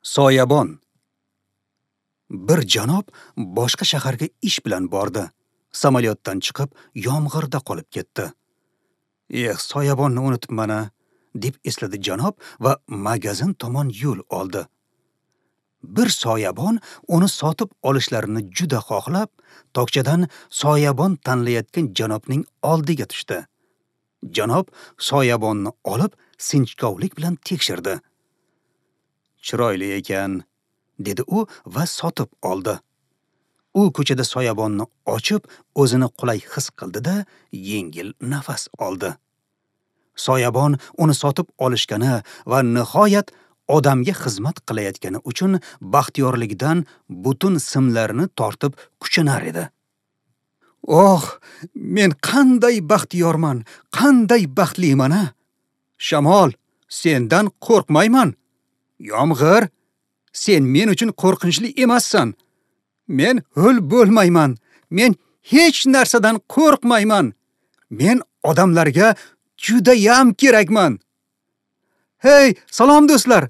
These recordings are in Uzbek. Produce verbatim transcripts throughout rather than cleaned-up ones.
Soyabon. Bir janob boshqa shaharga ish bilan bordi. Samolyotdan chiqib, yomg'irda qolib ketdi. "Eh, soyabonni unutibman-a", deb esladi janob va magazin tomon yo'l oldi. Bir soyabon uni sotib olishlarini juda xohlab, tokchadan soyabon tanlayotgan janobning oldiga tushdi. Janob soyabonni olib, sinchkovlik bilan tekshirdi. "Chiroyli ekan", dedi u va sotib oldi. U ko'chada soyabonni ochib, o'zini qulay his qildi-da, yengil nafas oldi. Soyabon uni sotib olishgani va nihoyat odamga xizmat qilayotgani uchun baxtiyorligidan butun simlarini tortib kuchanar edi. "Oh, men qanday baxtiyorman, qanday baxtliman-a! Shamol, sendan qo'rqmayman. Yomg'ir, sen men uchun qo'rqinchli emassan. Men ho'l bo'lmayman. Men hech narsadan qo'rqmayman. Men odamlarga judayam kerakman. Hey, salom do'stlar!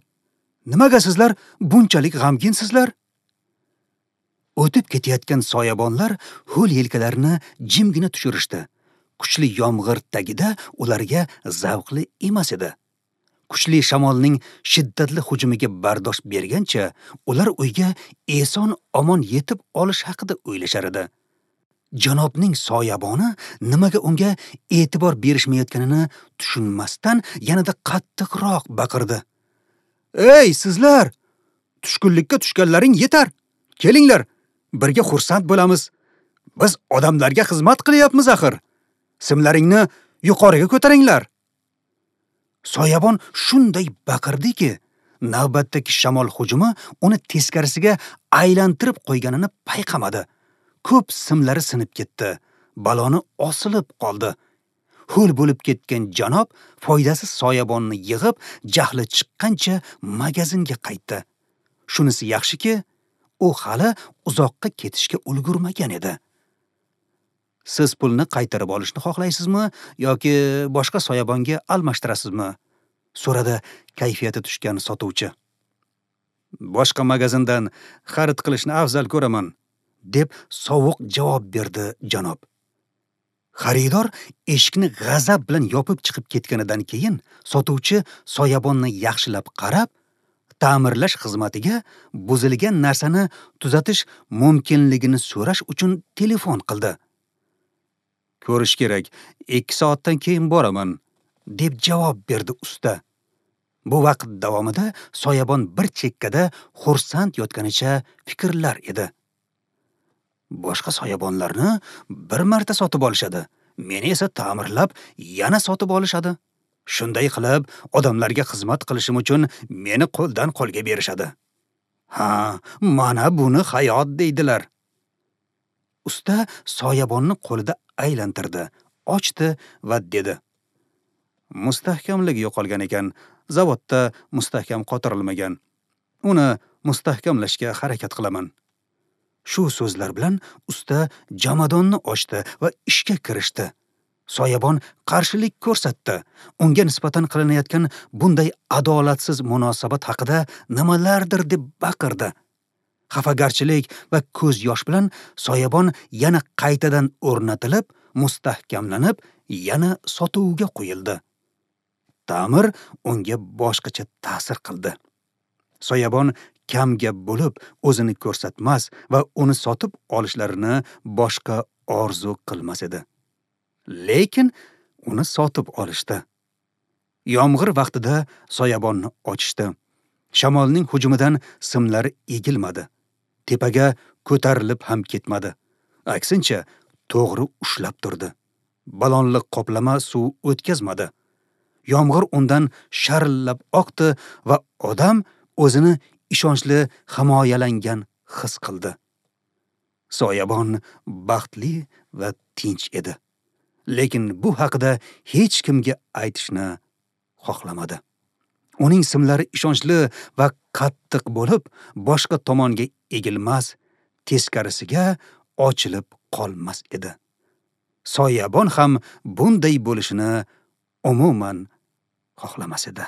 Nimaga sizlar bunchalik g'amginsizlar?" O'tib ketayotgan soyabonlar ho'l yelkalarini jimgina tushirishdi. Kuchli yomg'ir tagida ularga zavqli emas edi. Kuchli shamolning shiddatli hujumiga bardosh bergancha, ular uyga eson omon yetib olish haqida o'ylashar edi. Janobning soyaboni nimaga unga e'tibor berishmayotganini tushunmasdan yanada qattiqroq baqirdi. "Ey sizlar! Tushkunlikka tushganlaring yetar. Kelinglar, birga xursand bo'lamiz. Biz odamlarga xizmat qilyapmiz axir. Simlaringni yuqoriga ko'taringlar." Soyabon shunday baqirdiki, navbatdagi shamol hujumi uni teskarisiga aylantirib qo'yganini payqamadi. Ko'p simlari sinib ketdi, baloni osilib qoldi. Ho'l bo'lib ketgan janob foydasiz soyabonni yig'ib, jahli chiqqancha magazinga qaytdi. Shunisi yaxshiki, u hali uzoqqa ketishga ulgurmagan edi. "Siz pulni qaytarib olishni xohlaysizmi yoki boshqa soyabonga almashtirasizmi?" so'radi kayfiyati tushgan sotuvchi. "Boshqa magazindan xarid qilishni afzal ko'raman", deb sovuq javob berdi janob. Xaridor eshikni g'azab bilan yopib chiqib ketganidan keyin sotuvchi soyabonni yaxshilab qarab, ta'mirlash xizmatiga buzilgan narsani tuzatish mumkinligini so'rash uchun telefon qildi. "Ko'rish kerak, ikki soatdan keyin boraman", deb javob berdi usta. Bu vaqt davomida soyabon bir chekkada xursand yotganicha fikrlar edi. Boshqa soyabonlarni bir marta sotib olishadi, meni esa ta'mirlab yana sotib olishadi. Shunday qilib, odamlarga xizmat qilishim uchun meni qo'ldan qo'lga berishadi. Ha, mana buni hayot deydilar. Usta soyabonni qo'lida aylantirdi, ochdi va dedi: "Mustahkamligi yo'qolgan ekan, zavodda mustahkam qotirilmagan. Uni mustahkamlashga harakat qilaman." Shu so'zlar bilan usta jomadonni ochdi va ishga kirishdi. Soyabon qarshilik ko'rsatdi. Unga nisbatan qilinayotgan bunday adolatsiz munosabat haqida nimalardir deb baqirdi. Xafagarchilik va ko'z yosh bilan soyabon yana qaytadan o'rnatilib, mustahkamlanib, yana sotuvga qo'yildi. Ta'mir unga boshqacha ta'sir qildi. Soyabon kamgap bo'lib, o'zini ko'rsatmas va uni sotib olishlarini boshqa orzu qilmas edi. Lekin uni sotib olishdi. Yomg'ir vaqtida soyabonni ochishdi. Shamolning hujumidan simlari egilmadi. Tepaga ko'tarilib ham ketmadi. Aksincha, to'g'ri ushlab turdi. Balonli qoplama suv o'tkazmadi. Yomg'ir undan sharillab oqdi va odam o'zini ishonchli himoyalangan his qildi. Soyabon baxtli va tinch edi. Lekin bu haqida hech kimga aytishni xohlamadi. Uning simlari ishonchli va qattiq bo'lib, boshqa tomonga egilmas, teskarisiga ochilib qolmas edi. Soyabon ham bunday bo'lishini umuman xohlamas edi.